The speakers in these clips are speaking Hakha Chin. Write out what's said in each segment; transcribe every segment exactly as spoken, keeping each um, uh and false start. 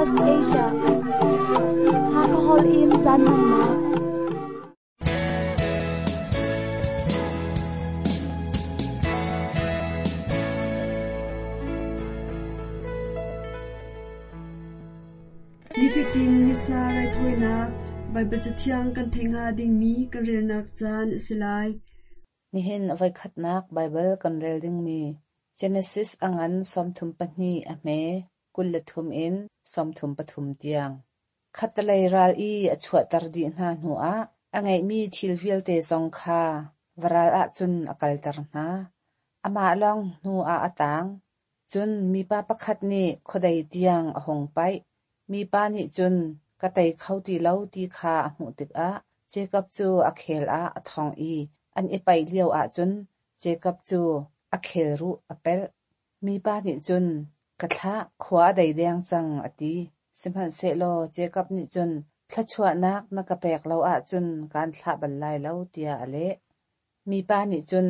S B S Asia. Hakahol in caan hmannak. Nifatin Missa raithawinak Baibal Cathiang kan theih hnga dingmi kan relnak caan a si lai. Nihin a voikhatnak Baibal kan rel dingmi Genesis a ngan sawmthum pahnih a hme kul le thum in sawmthum pathum tiang. Khattelei ral i a chuahter dih hna hnuah a ngeihmi thil vialte zong kha varal ahcun a kalter hna. Amah lawng hnu ah a tang. Cun mipa pakhat nih khuadei tiang a hung paih. Mipa nih cun ka tei kho ti lo ti kha a hmuh tikah Jakob cu a khel ah a thong i an i paih lio ahcun Jakob cu a khelruh a pelh. Mipa nih cun ka thlah, khua a dei deng cang a ti. Sihmanhsehlaw Jakob nih cun thluachuahnak na ka pek lo ahcun kaan thlah bal lai lo tiah a leh. Mipa nih cun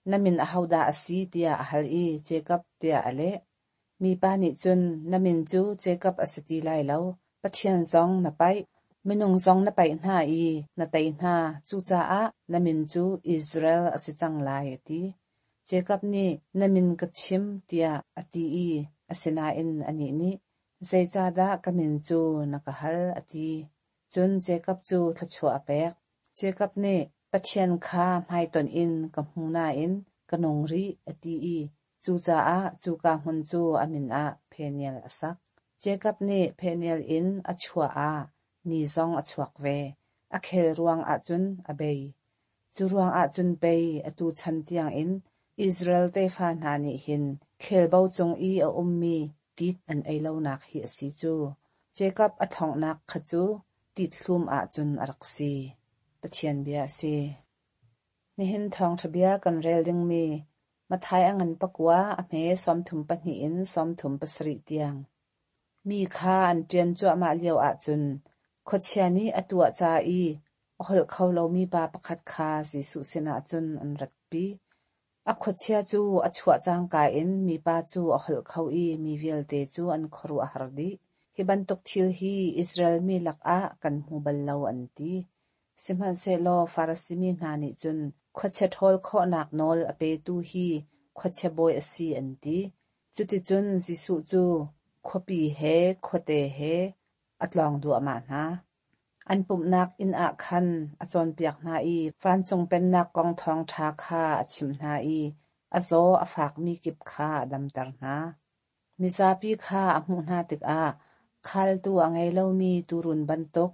na min ahodah a si tiah a hal i Jakob tiah a leh. Mipa nih cun na min cu Jakob a si ti lai lo, Pathian zong na paih, minung zong na paih hna i na tei hna, cucaah na min cu Israel a si cang lai a ti. Jakob nih na min ka chim tiah a ti i asinain anih nih zeicahdah ka min cu na ka hal a ti. Cun Jakob cu thluachuah a pek. Jakob nih Pathian kha hmaitonh in ka hmu nain ka nung rih a ti i cucaah cuka hmun cu a min ah Peniel a sak. Jakob nih Peniel in a chuah ah ni zong a chuak ve. A khel ruang ahcun a bei. Cu ruang ahcun pei atu chan tiangin Israel tefa hna nih hin khelbo cung i a ummi tit an ei lonak hi a si cu. Jakob a thonghnak kha cu tit hlum ahcun a rak si. Pathian bia a si. Nihin thawngṭha bia kan rel dingmi Matthai a ngan pakua a hme sawmthum pahnih in sawmthum pasarih tiang. Mi kha an ṭian cuahmah lio ahcun khuachia nih a tuah ca i a holh kho lomi pa pakhat kha Jesuh sinah cun an ratpi. A khuachia cu a chuah cangka in mipa cu a holh kho i mi vialte cu an khuaruah a har dih. Hi bantuk thil hi Israel mi lakah kan hmu bal lo an ti. Sihmanhsehlaw Farasi mi hna nih cun khuachia ṭhawl khawhnak nawl a petu hi khuachia bawi a si an ti. Cuticun Jesuh cu khuapi he khuate he a tlawng duahmah hna. An pumhnak inn ah khan a cawnpiak hna i vancung pennak kong thawngṭha kha a chimh hna i a zaw a fakmi kip kha a damter hna. Mizapi kha a hmuh hna tikah khaltu a ngei lomi tuurun bantuk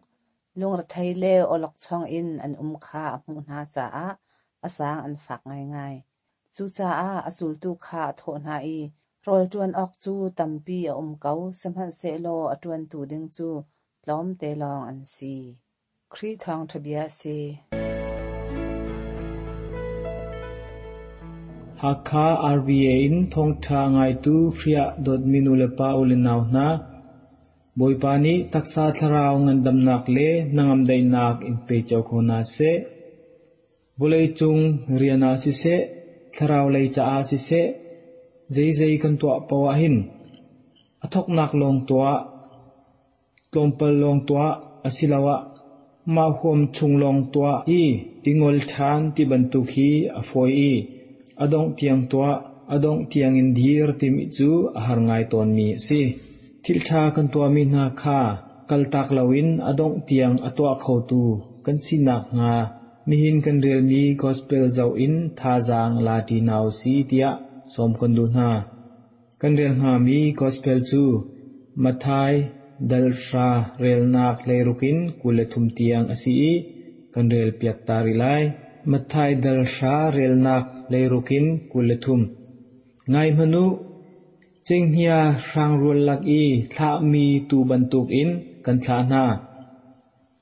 lungrethei le awlokchong in an um kha a hmuh hna caah a zaang an fak ngaingai. Cucaah a zultu kha a thawh hna i rawl ṭuan awk cu tampi a um ko, sihmanhsehlaw a ṭuantu ding cu tlawmte lawng an si. Khrih thawngṭha bia a si. Hakha R V A in thawngṭha ngaitu Khrih dawtmi nulepa u le nau hna, Bawipa nih taksa thlarau ngandamnak le hnangam daihnak in pe cio ko hna seh. Vawlei cung rian ah siseh, thlarau lei caah siseh, zeizei kan tuah poah hin a thoknak lawng tuah, tlawmpal lawng tuah asiloah mah huam chung lawng tuah i i ngol ṭhan ti bantuk hi a fawi i a dongh tiang tuah, a dongh tiangin dir timi cu a har ngai tawnmi a si. Thil ṭha kan tuahmi hna kha kaltak loin a dongh tiang a tuah khotu kan sinak hnga nihin kan relmi gospel zoh in thazaang la ṭi hna usih tiah sawm kan duh hna. Kan rel hngami gospel cu Matthai dal hra relnak hleiruk in kul le thum tiang a si i kan rel piak ta rih lai. Matthai dal hra relnak hleiruk in kul le thum. Ngai hmanh u, cenghngia hrangrual lak i thlahmi tuu bantukin kan thlah hna.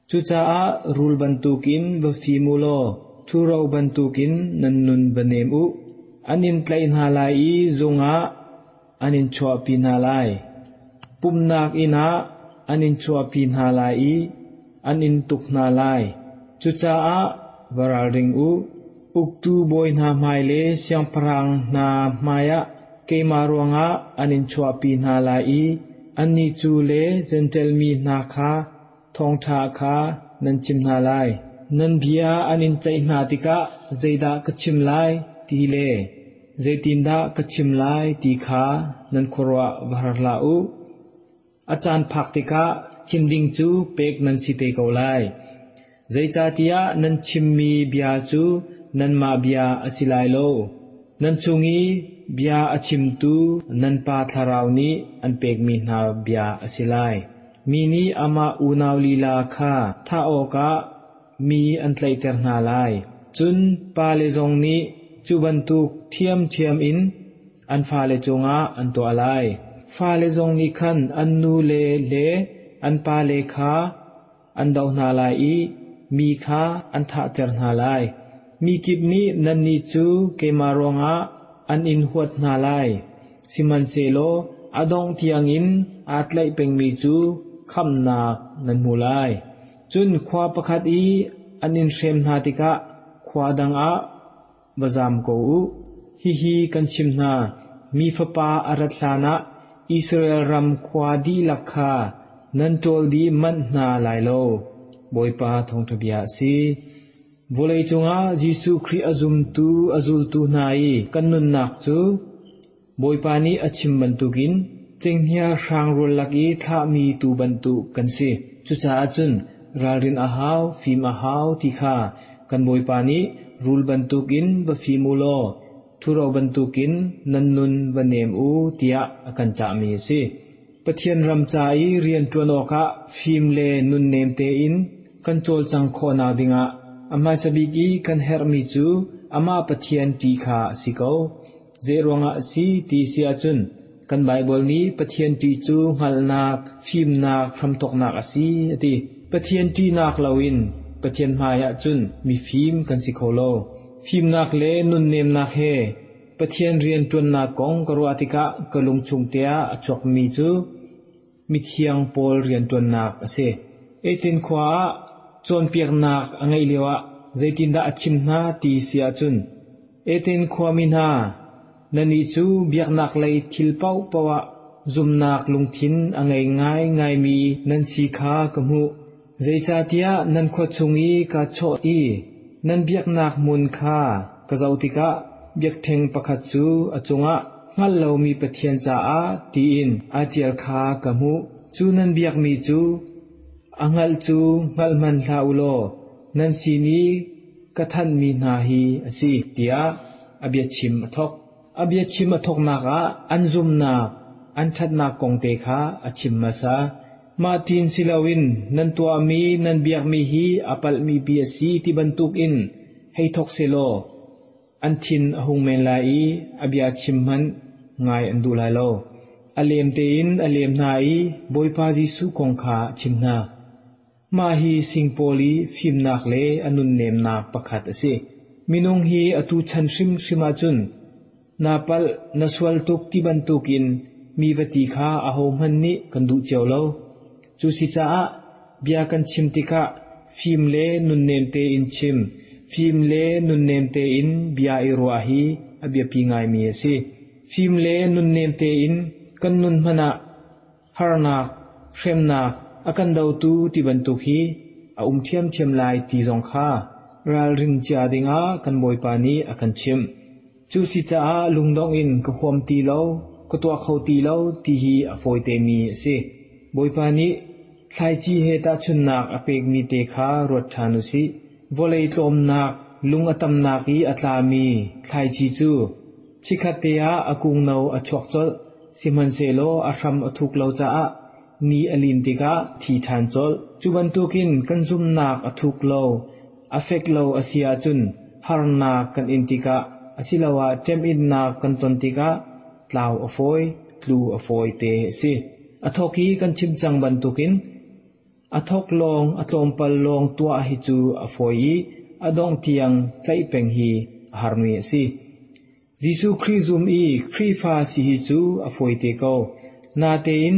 Cucaah rul bantukin va fim u law ṭhuro bantukin nan nun va nem u. An in tlaih hna lai i zung ah an in chuahpi hna lai. Pumhnak inn ah an in chuahpi hna lai i an in tuk hna lai. Cucaah va ralring u. Uktu bawi hna hmai le siangpahrang hna hmaiah keimah ruangah an in chuahpi hna lai i Annih cu le Jentail mi hna kha thawngṭha kha nan chim hna lai. Nan bia an in ceih hna tikah zeidah ka chim lai ti le zeitindah ka chim lai ti kha nan khuaruah va har hlah u. A caan phak tikah chim ding cu pek nan si te ko lai. Zeicahtiah nan chimmi bia cu nanmah bia a si lai lo. Nan chung i bia a chimtu nan Pa Thlarau nih an pekmi hna bia a si lai. Mi nih amah unau lila kha thah awkah mi an tlaihter hna lai. Cun pale zong nih cu bantuk ṭhiamṭhiam in an fale cungah an tuah lai. Fale zong nih khan an nule le an pale kha an doh hna lai i mi kha an thahter hna lai. Mi kip nih nannih cu keimah ruangah an in huat hna lai. Sihmanhsehlaw a dongh tiangin aa tlaih pengmi cu khamhnak nan hmu lai. Cun khua pakhat i an in hrem hna tikah khua dang ah va zam ko u. Hihi kan chim hna, mi Fapa a rat hlanah Israel ram khua dihlak kha nan ṭawl dih manh hna lai lo. Bawipa thawngṭha bia a si. Vawlei cungah Jesuh Khrih a zumtu a zultu hna i kan nunnak cu Bawipa nih a chim bantukin cenghngia hrangrual lak i thlahmi tuu bantuk kan si. Cucaah cun ralrin a hau, fim a hau ti kha kan Bawipa nih rul bantukin va fim u law ṭhuro bantukin nan nun va nem u tiah a kan cahmi a si. Pathian ram ca i rian ṭuan awkah fim le nunnem tein kan cawlcang khawhnak dingah a hmasa bik i kan herhmi cu amah Pathian ṭih kha a si ko. Zei ruangah a si ti si ahcun kan Baibal nih Pathian ṭih cu hngalhnak, fimnak, hramthawknak a si a ti. Pathian ṭihnak loin Pathian hmaiah cun mifim kan si kho lo. Fimnak le nunnemnak he Pathian rian ṭuannak kong ka ruah tikah ka lungchung te ah a chuakmi cu mithiang Paul rian ṭuannak a si. Athens khua ah cawnpiaknak a ngeih lioah zeitindah a chim hna ti si ahcun Athens khuami hna, nannih cu biaknak lei thil paohpaoh ah zumnak lungthin a ngei ngaingaimi nan si kha ka hmuh. Zeicahtiah nan khua chung i kaa chawh i nan biaknak hmun kha ka zoh tikah biakṭheng pakhat cu a cungah hngalh lomi Pathian caah tiin aa ṭial kha ka hmuh. Cu nan biakmi cu a hngalh cu hngalh hmanh hlah u law nan sin i ka thanhmi hna hi a si tiah a biachim a thawk. A biachim a thawknak ah an zumnak, an ṭhatnak kong te kha a chim hmasa. Mah tiin si loin nan tuahmi nan biakmi hi a palhmi bia a si ti bantukin hei thawk sehlaw an thin a hung men lai i a bia chim hmanh ngai an duh lai lo. A lem tein a lem hna i Bawipa Jesuh kong kha a chim hna. Mah hi Singpaul i fimnak le a nunnemnak pakhat a si. Minung hi atu chan hrimhrim ahcun na palh na sual tuk ti bantukin mi va ti kha ahohmanh nih kan duh cio lo. Cu si caah bia kan chim tikah fim le nunnem tein chim, fim le nunnem tein bia i ruah hi a biapi ngaimi a si. Fim le nunnem tein kan nun hmanh ah harnak, hremnak, a kan dotu ti bantuk hi a um ṭhiamṭhiam lai ti zong kha ralrin cia dingah kan Bawipa nih a kan chimh. Cu si caah lungdong in ka huam ti lo, ka tuah kho ti lo ti hi a fawi temi a si. Bawipa nih thlaici he tahchunhnak a pekmi te kha ruat ṭhan u sih. Vawlei tlawmnak, lung a tamnak i a tlami thlaici cu chikkhat te ah a kungno a chuak colh, sihmanhsehlaw a hram a thuk lo caah ni a lin tikah thi ṭhan colh. Cu bantukin kan zumnak a thuk lo, a fek lo a si ahcun harnak kan in tikah asiloah ṭem-innak kan ton tikah tlau a fawi, tlu a fawi te a si. A thawk i kan chim cang bantukin a thawk lawng a tlawmpal lawng tuah hi cu a fawi i a dongh tiang tlaih peng hi a harmi a si. Jesuh Khrih zum i Khrihfa si hi cu a fawi te ko. Natein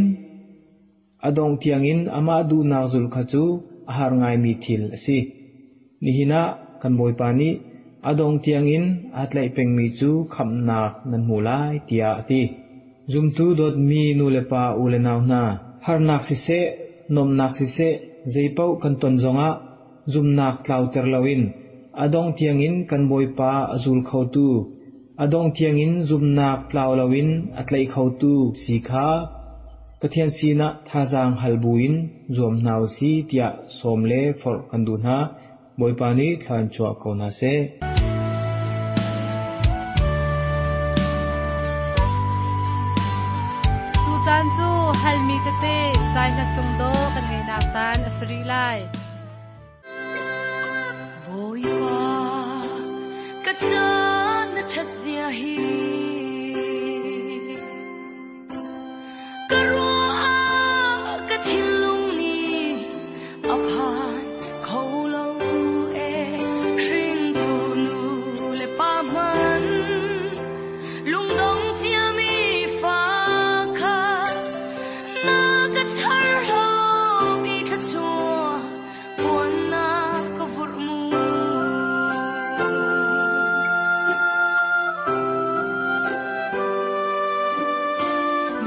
a dongh tiangin amah duhnak zul kha cu a har ngaimi thil a si. Nihin ah kan Bawipa nih a dongh tiangin aa tlaih pengmi cu khamhnak nan hmu lai tiah a ti. Zumtu dawtmi nu le pa u le nau hna, harnak siseh, nuamhnak siseh, zeipaoh kan ton zongah zumnak tlauter loin a dongh tiangin kan Bawipa a zul khotu, a dongh tiangin zumnak tlau loin a tlaih khotu si kha Pathian sinah thazaang hal buin zuam hna usih tiah sawm le forh kan duh hna. Bawipa nih thla in chuah ko hna seh. Tucaan cu halmi tete zai hla sung dawh kan ngeihnak caan a si rih lai. Bawipa, ka caan na ṭhat zia hi. Ka ruah ah ka thinlung nih a phan kho lo e. Hringtu nu le pa hmanh lungdong ciami fa kha na ka char lomi thluachuah puan na ka vurh mu.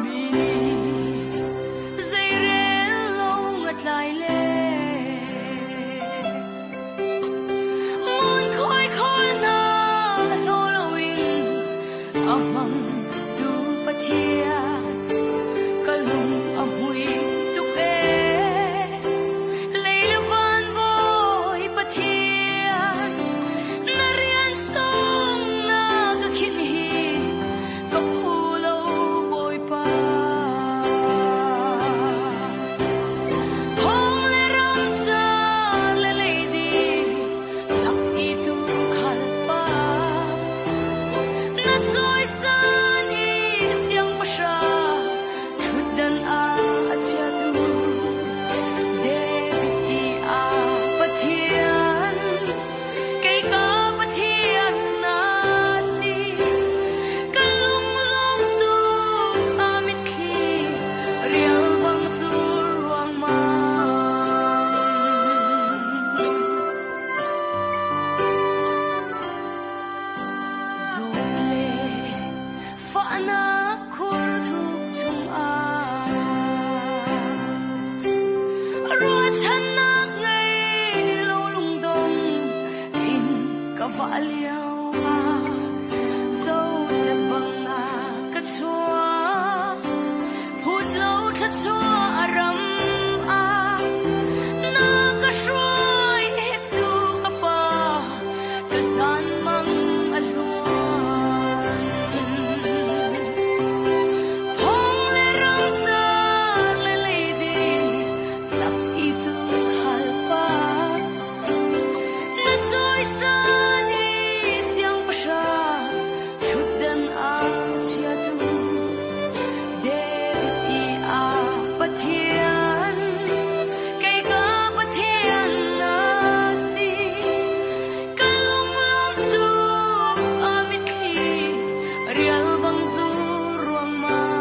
Mi nih zeirel lo ngatlai le ngunkhuai khawl hna hlaw loin a hmang tu Pathian ka lung a hmui tuk ee. Lei le van Bawi Pathian na rian sung na ka khinh hi ka phu lo Bawipa. Phong le ram ca le leidi lak i tu khal pa na cawisan i siangpahrang ṭhutdan ah a chiatu David i a Pathian kei ka Pathian na si. Ka lunglawm tuk a mitthli rial bang zur ruangmang. Zawt le fahnak khur thuk chungah ruahchannak ngei lo lungdong in ka vah lio ah Joseph bang na ka chuah phut lo thluachuah ram ah na ka hruai hi cu ka pa ka zan mang a hluan. Phong le ram car le leidi lak i tu khal pa na cawisan i siangpahrang ṭhutdan ah chiatu David i a Pathian kei ka Pathian na si. Ka lunglawm tuk a mitthli rial bang zur ruangmang.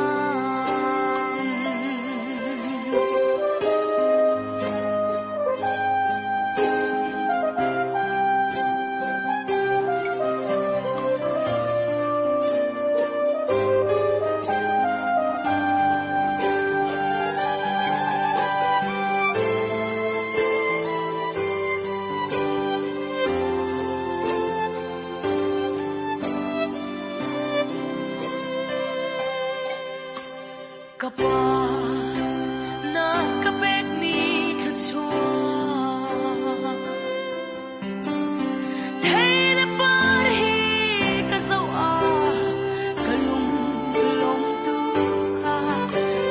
Ka pa na ka pekmi thluachuah thei le par hi ka zoh ah ka lung lawm tuk ah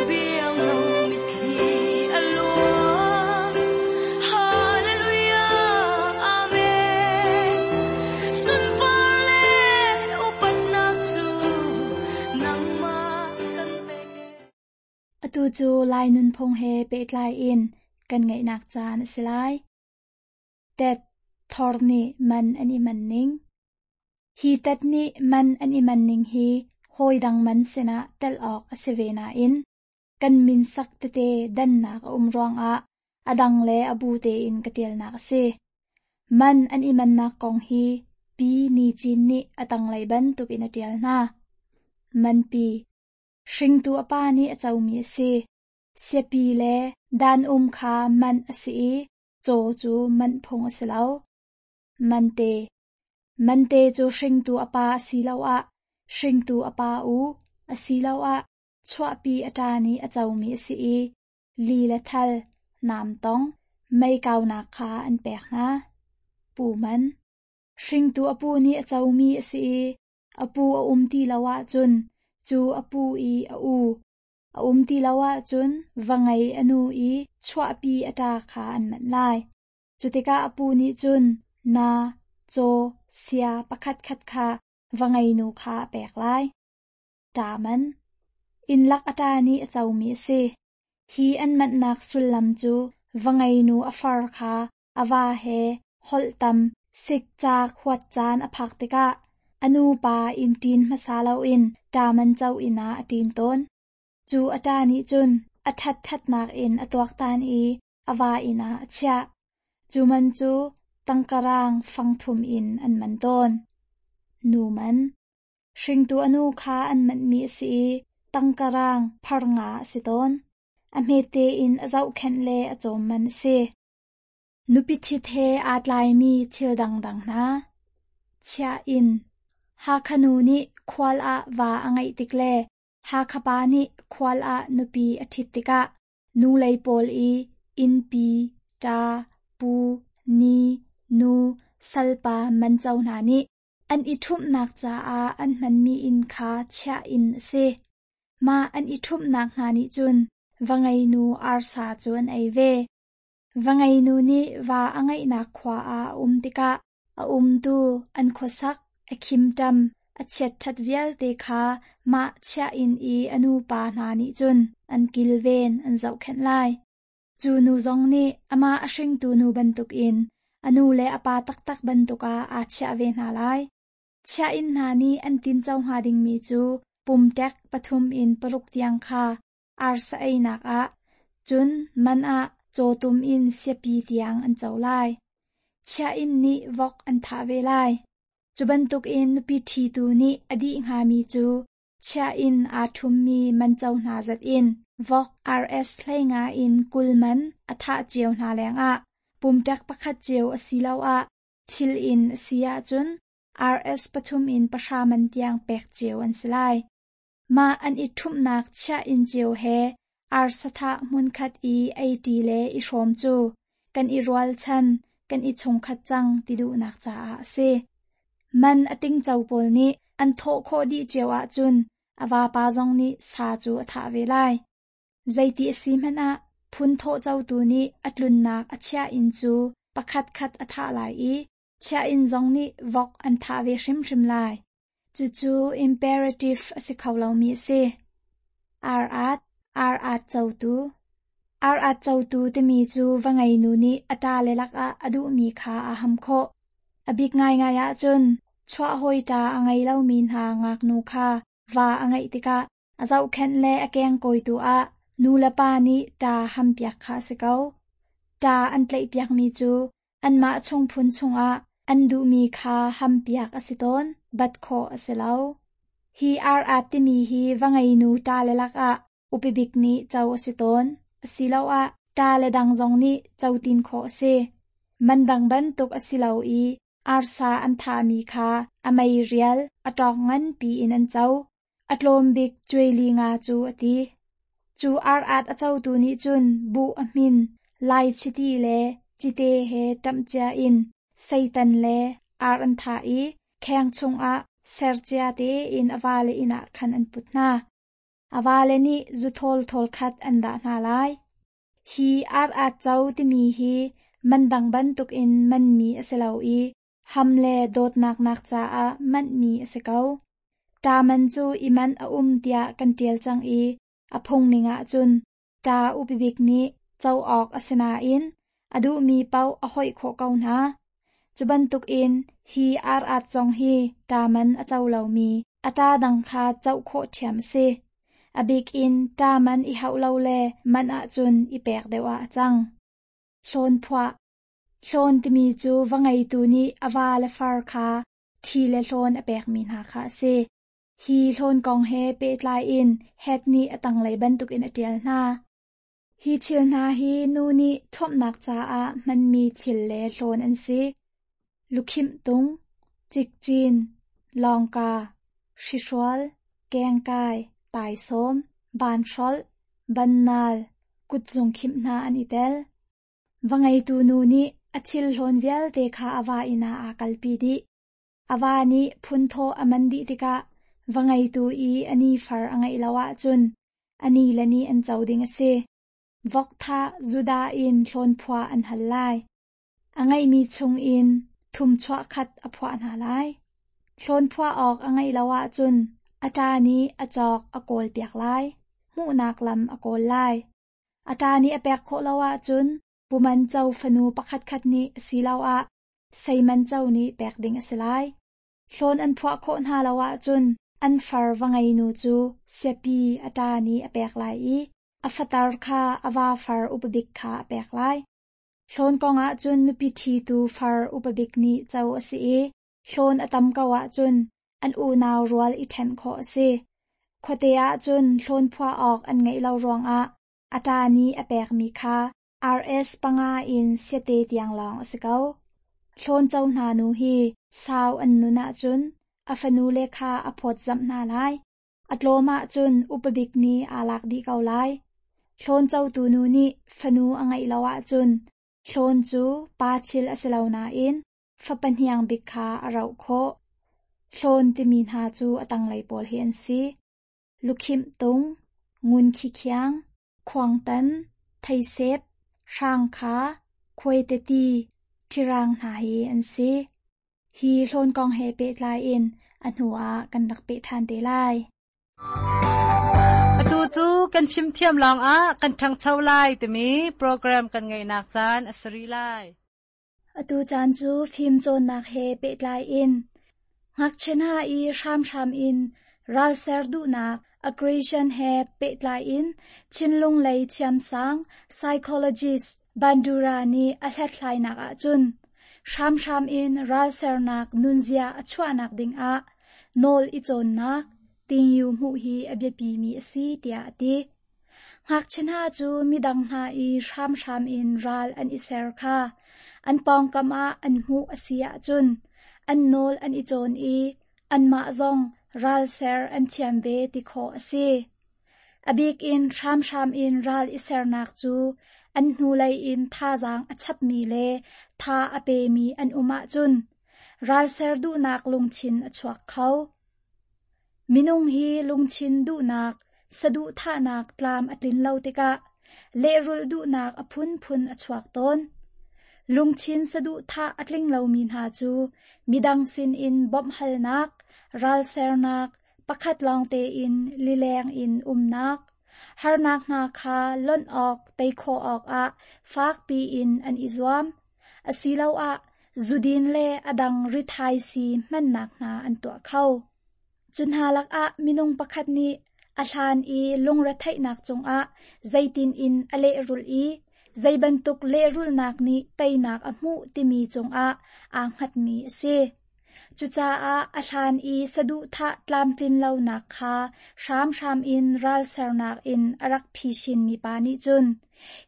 biang lo mitthli a luang. Hallelujah, Amen. Sunpar le upatnak cu nangmah kan pek. Atu cu Lai nunphung he pehtlai in kan ngaihnak caan a si lai. Tet thor nih man an i man ning. Hi tet nih man an i man ning hi hawi dang man sinah tel awk a si ve nain kan min sak tete dannak a um ruangah a dang le a bu tein ka ṭialnak a si. Man an i mannak kong hi Pi Ni Cin nih a tanglei bantukin a ṭial hna. Manpi. Hringtu a pa nih a comi a si. Siapi le dan um kha man a si i caw cu manh phung a si lo. Mante. Mante cu hringtu a pa asiloah hringtu a pa u asiloah chuahpi a ṭa nih a comi a si i li le thal, namtong, mei kaunak kha an pek hna. Pu man. Hringtu a pu nih a comi a si i a pu a um ti lo ahcun cu a pu i a u. A um ti lo ahcun va ngei a nu i chuahpi a ṭa kha an manh lai. Cu tikah a pu nih cun na, caw, sia pakhatkhat kha va ngeinu kha a pek lai. Ṭa man. Innlak a ṭa nih a comi a si. Hi an manhnak sullam cu va ngeinu a far kha a va he holh tam sikcaak huat caan a phak tikah a nu pa inn ṭin hmasa loin ṭa man co inn ah a ṭin tawn. Cu a ṭa nih cun a ṭhat ṭhatnak in a tuaktan i a va inn ah a chiah. Cu man cu tangkarang fangthum in an man tawn. Nu man. Hringtu a nu kha an manhmi a si i tangkarang phar nga a si tawn. A hmete in a zohkhenh le a cawm man a si. Nupi ṭhit he aa tlaimi thil dangdang hna. Chiah inn. Hakha nu nih khual ah va a ngeih tik le Hakha pa nih khual ah nupi a ṭhit tikah nu lei pawl i innpi, ṭa, pu, ni, nu, salpa manco hna nih an i ṭhumhnak caah an hmanmi inn kha chiah inn a si. Mah an i ṭhumhnak hna nih cun va ngeinu arsa cu an ei ve. Va ngeinu nih va a ngeihnak khua ah a um tikah a umtu an khuasak, a khimṭam, a chiatṭhat vialte kha mah chiah inn i a nupa hna nih cun an kilven an zohkhenh lai. Cu nu zong nih amah a hringtu nu bantukin a nu le a pa taktak bantuk ah aa chiah ve hna lai. Chiah inn hna nih an tinco hnga dingmi cu pumṭek pathum in paruk tiang kha arsa einak ah, cun man ah cawtum in siapi tiang an co lai. Chiah inn nih vok an thah ve lai. Cu bantukin nupi ṭhitu nih a dih hngami cu chiah inn aa ṭhummi manco hna zat in vok R S hleinga in kul man a thah cio hna lengah pumṭek pakhat cio asiloah thil inn a si ahcun R S pathum in pahra man tiang pek cio an si lai. Mah an i ṭhumhnak chiah inn cio he arsa thah hmunkhat i eiṭi le i hrawm cu kan i rualchan, kan i chungkhat cang ti duhnak caah a si. Man a tingco pawl nih an thawh khawh dih cio ahcun a vapa zong nih sa cu a thah ve lai. Zeiti a si hmanh ah phun thawh cotu nih a tlunnak a chiah inn cu pakhatkhat a thah lai i chiah inn zong nih vok an thah ve hrimhrim lai. Cucu imperative a si kho lomi a si. Ar-at, ar-at cotu. Ar-at cotu timi cu va ngeinu nih a ṭale lakah a duhmi kha aa ham khawh. A bik ngaingai ahcun chuah hawi ṭa a ngei lomi hna ngaknu kha va a ngeih tikah a zohkhenh le a kengkawitu ah nu le pa nih ṭa hampiak kha a si ko. Ṭa an tlaihpiakmi cu anmah chungphun chungah an duhmi kha hampiak a si tawn, bat khawh a si lo. Hi ar-at timi hi va ngeinu ṭale lakah upibik nih co a si tawn, asiloah ṭale dang zong nih co tin khawh a si. Man dang bantuk a si lo i arsa an thahmi kha a mei rial a ṭawk nganpi in an co. A tlawm bik cuaili nga cu a ti. Cu ar-at a cotu nih cun buh a hmin, lai chiti le cite he ṭamhcia in seitan le ar an thah i kheng chungah sercia tein a vale inn ah khan an put hna. A vale nih zuthawl thawl khat an dah hna lai. Hi ar-at co timi hi man dang bantukin manmi a si lo i ham le dawtnak nak caah manhmi a si ko. Ṭa man cu i manh a um tiah kan ṭial cang i a phungning ahcun ṭa upibik nih co awk a si nain a duhmi paoh a hoih khawh ko hna. Cu bantukin hi ar-at zong hi ṭa man a co lomi a ṭa dang kha co khawh ṭhiam a si. A bik in ṭa man i hauh lo le manh ahcun i pek deuh ah a cang. Hlawn phuah. Hlawn timi cu va ngeitu nih a va le far kha ṭhi le hlawn a pekmi hna kha a si. Hi hlawn kong he pehtlai in Head nih a tanglei bantukin a ṭial hna. Hi thil hna hi nu nih thuamnak caah hmanmi thil le hlawn an si. Lukhimh tung, cikcin, lawngka, hrihrual, kengkai, taisawm, vanhrolh, bannal, kutzung khimh hna an i tel. Va ngeitu nu nih a thil hlawn vialte kha a va inn ah aa kalpi dih. A va nih phunthawh a man dih tikah va ngeitu i a ni far a ngeih lo ahcun a ni le ni an co ding a si. Vok thah Judah in hlawn phuah an hal lai. A ngeihmi chungin thum chuah khat a phuah hna lai. Hlawn phuah awk a ngeih lo ahcun a ṭa nih a cawk a kawl piak lai. Hmuhnak lam a kawl lai. A ṭa nih a pek khawh lo ahcun puman co fanu pakhatkhat nih asiloah seiman co nih pek ding a si lai. Hlawn an phuah khawh hna lo ahcun an far va ngeinu cu siapi a ṭa nih a pek lai i a fatar kha a va far upabik kha a pek lai. Hlawn kong ahcun nupi ṭhitu far upabik nih co a si i hlawn a tam ko ahcun an unau rual i ṭhen khawh a si. Khuate ahcun hlawn phuah awk an ngeih lo ruangah a ṭa nih a pekmi kha RS panga in siate tiang lawng a si ko. Hlawn co hna nu hi sau an nun ahcun a fanu le kha a phawtzamh hna lai. A tlawm ahcun upabik nih aa lak dih ko lai. Hlawn cotu nu nih fanu a ngeih lo ahcun hlawn cu pa thil a si lo nain fapa hniang bik kha a roh khawh. Hlawn timi hna cu a tanglei pawl hi an si. Lukhimh tung, ngun khikhiang, khuangtan, theisep, hrangkha, khuaiteti, ṭhirang hna hi an si. Hi hlawn kong he pehtlai in a hnu ah kan rak peh ṭhan te lai. Atu cu kan fimthiam lawngah kan ṭhangcho lai timi program kan ngeihnak caan a si rih lai. Atu caan cu fim cawnnak he pehtlai in ngakchia hna i hramhram in ralser duhnak aggression he pehtlai in thinlung lei thiamsang psychologist Bandura nih a hlathlainak ahcun hramhram in ralsernak nunzia a chuahnak dingah nawl i cawnnak tingyu hmuh hi a biapimi a si tiah a ti. Ngakchia hna cu midang hna i hramhram in ral an i ser kha an pawngkam ah an hmuh a si ahcun an nawl an i cawn i anmah zong ralser an thiam ve ti khawh a si. A bik in hramhram in ral i sernak cu an hnulei in thazaang a chapmi le tha a pemi an um ahcun ralser duhnak lungthin a chuak kho. Minung hi lungthin duhnak, saduhthahnak tlam a tlin lo tikah lehrulh duhnak a phunphun a chuak tawn. Lungthin saduhthah a tling lomi hna cu midang sinin bawmhhalnak, ralsernak, pakhat lawng tein lileng in umnak, harnak hna kha lonh awk tei khawh awkah fakpi in an i zuam, asiloah zudin le a dang rithaisii hmannak hna an tuah kho. Cu hna lakah minung pakhat nih a hlan i lungretheihnak cungah zeitin in a lehrulh i zeibantuk lehrulhnak nih teinak a hmuh timi cungah aa hngatmi a si. Cucaah a hlan i saduhthah tlamtlin lonak kha hramhram in ralsernak in a rak phisin mi pa nih cun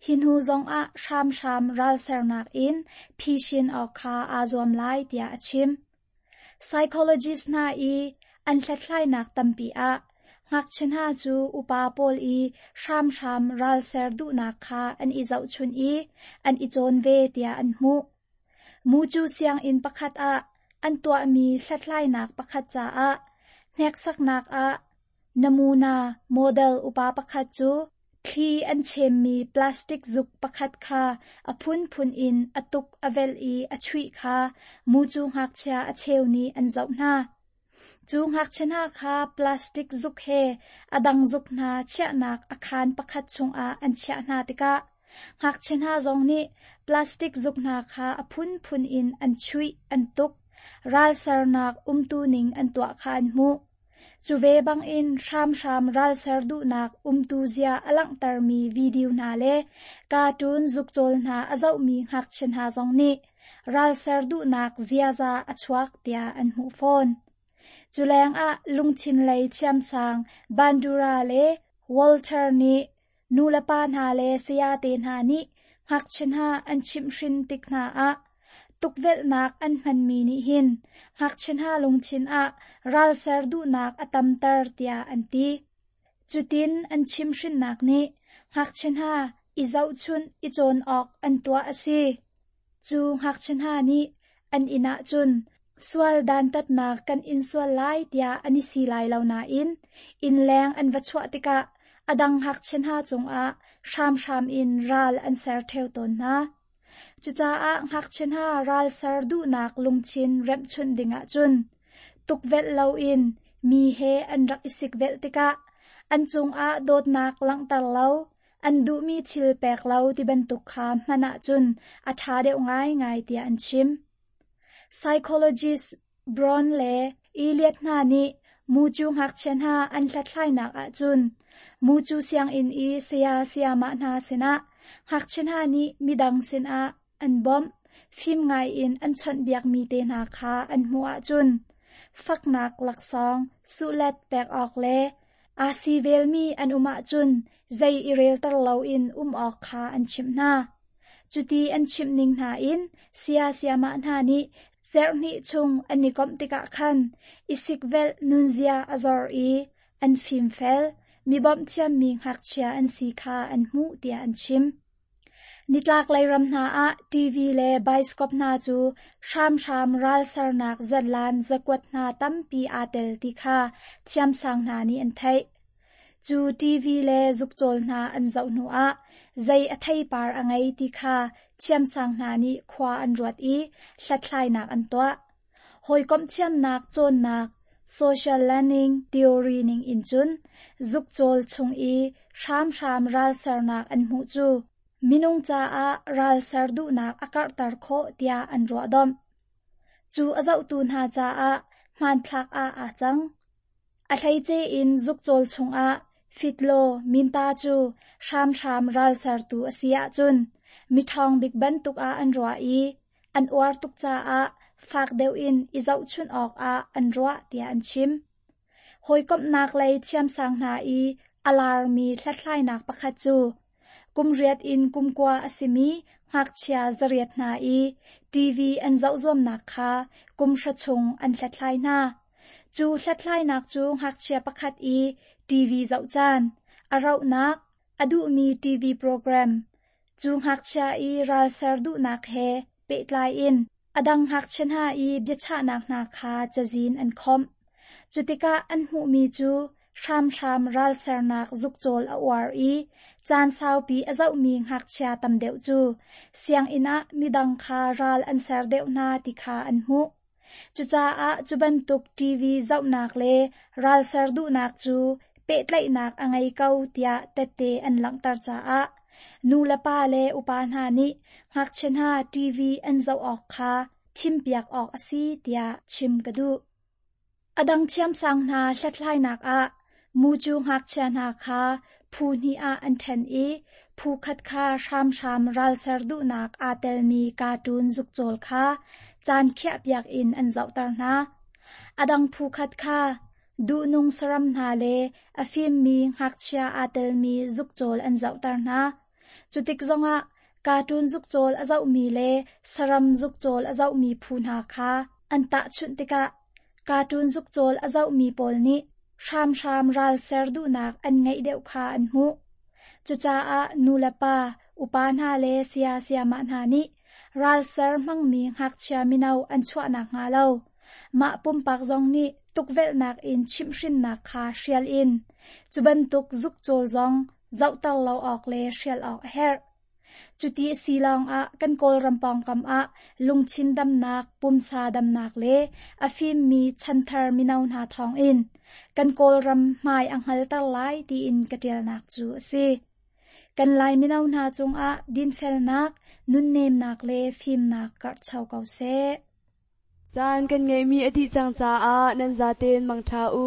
hi hnu zongah hramhram ralsernak in phisin awk kha aa zuam lai tiah a chim. Psychologist hna i an hlathlainak tampi ah ngakchia hna cu upa pawl i hramhram ralser duhnak kha an i zohchun i an i cawn ve tiah an hmuh. Mucu sianginn pakhat ah an tuahmi hlathlainak pakhat caah hneksaknak ah namuna model upa pakhat cu thli an chemmi plastic zuk pakhat kha a phunphun in a tuk a velh i a chuih kha mucu ngakchia a cheu nih an zoh hna. Cu ngakchia hna kha plastic zuk he a dang zuk hna chiahnak a khaan pakhat chungah an chiah hna tikah ngakchia hna zong nih plastic zuk hna kha a phunphun in an chuih an tuk, ralsernak umtu ning an tuah kha an hmuh. Cu ve bangin hramhram ralser duhnak umtu zia a langhtermi video hna le cartoon zukcawl hna a zohmi ngakchia hna zong nih ralser duhnak ziaza a chuak tiah an hmuh fawn. Cu lengah lungthin lei thiamsang Bandura le Walter nih nulepa hna le sayate hna nih ngakchia hna an chimhhrin tik hna ah tukvelhnak an hmanmi nih hin ngakchia hna lungthin ah ralser duhnak a tamter tiah an ti. Cutin an chimhhrinnak nih ngakchia hna i zohchunh i cawn awk an tuah a si. Cu ngakchia hna nih an inn ahcun sual dantatnak kan in sual lai tiah an i si lai lo nain innleng an va chuah tikah a dang ngakchia hna cungah hramhram in ral an ser ṭheo tawn hna. Cucaah ngakchia hna ral ser duhnak lungthin remhchunh ding ahcun tukvelh loin mi he an rak i sikvelh tikah an cungah dawtnak langhter lo, an duhmi thil pek lo ti bantuk kha hman ahcun a ṭha deuh ngaingai tiah an chim. Psychologist Brown le Elliot hna nih mucu ngakchia hna an hlathlainak ahcun mucu sianginn i saya sayamah hna sinah ngakchia hna nih midang sinah an bawmh, fim ngaiin an chawnhbiakmi te hna kha an hmuh ahcun faknak laksawng suhlet pek awk le aa si velmi an um ahcun zei i relter loin um awk kha an chimh hna. Cuti an chimh ning hna in saya sayamah hna nih zarhhnih chung an i komh tikah khan i sikvelh nunzia a zor i an fimfel, mi bawmh thiammi ngakchia an si kha an hmuh tiah an chim. Nitlaklei ram hna ah TV le baiskop hna cu hramhram ralsernak zatlan zakuat hna tampi aa tel ti kha thiamsang hna nih an theih. Cu TV le zukcawl hna an zoh hnuah zei a theipar a ngei ti kha thiamsang hna nih khua an ruat i hlathlainak an tuah. Hawikomh thiamnak cawnnak social learning theory ning in cun zukcawl chung i hramhram ralsernak an hmuh cu minung caah ralser duhnak a karhter khawh tiah an ruahdomh. Cu a zohtu hna caah hmanthlak ah aa cang. A hleice in zukcawl chungah fitlaw minta cu hramhram ralsertu a si ahcun miṭhawng bik bantuk ah an ruah i an uar tuk caah fak deuh in i zohchunh awkah an ruah tiah an chim. Hawikomhnak lei thiamsang hna i a larmi hlathlainak pakhat cu kum riat in kum kua a simi ngakchia zariat hna i TV an zoh zuamnak kha kum hra chung an hlathlai hna. Cu hlathlainak cu ngakchia pakhat i TV zoh caan, a rauhnak, a duhmi TV program, cu ngakchia i ralser duhnak he pehtlai in a dang ngakchia hna i biachahnak hna kha cazin an khawmh. Cu tikah an hmuhmi cu hramhram ralsernak zukcawl a uar i caan saupi a zohmi ngakchia tam deuh cu sianginn ah midang kha ral an ser deuh hna ti kha an hmuh. Cucaah cu bantuk TV zohnak le ralser duhnak cu pehtlaihnak a ngei ko tiah tette an langhter caah nulepa le upa hna nih ngakchia hna TV an zoh awk kha thimpiak awk a si tiah chim ka duh. A dang thiamsang hna hlathlainak ah mucu ngakchia hna kha phu hnih ah an ṭhen i phu khat kha hramhram ralser duhnak aa telmi cartoon zukcawl kha caan khiahpiak in an zohter hna. A dang phu khat kha duhnung saram hna le a fimmi ngakchia aa telmi zukcawl an zohter hna. Cutik zongah cartoon zukcawl a zohmi le saram zukcawl a zohmi phu hna kha an tahchunh tikah cartoon zukcawl a zohmi pawl nih hramhram ralser duhnak an ngeih deuh kha an hmuh. Cucaah nulepa, upa hna le saya sayamah hna nih ralser hmangmi ngakchia mino an chuahnak hnga lo. Mah pumpak zong nih tukvelhnak in chimhhrinnak kha hrial in cu bantuk zukcawl zong zohter lo awk le hrial awk a herh. Cuti a si lawngah kan Kawlram pawngkam ah lungthin damnak, pumsa damnak le a fimmi chanthar mino hna thawngin kan Kawlram hmai a hngalter lai tiin ka ṭialnak cu a si. Kan Lai mino hna cungah dinfelnak, nunnemnak le fimnak karhcho ko seh. Caan kan ngeihmi a dih cang caah nan zaten mangṭha u.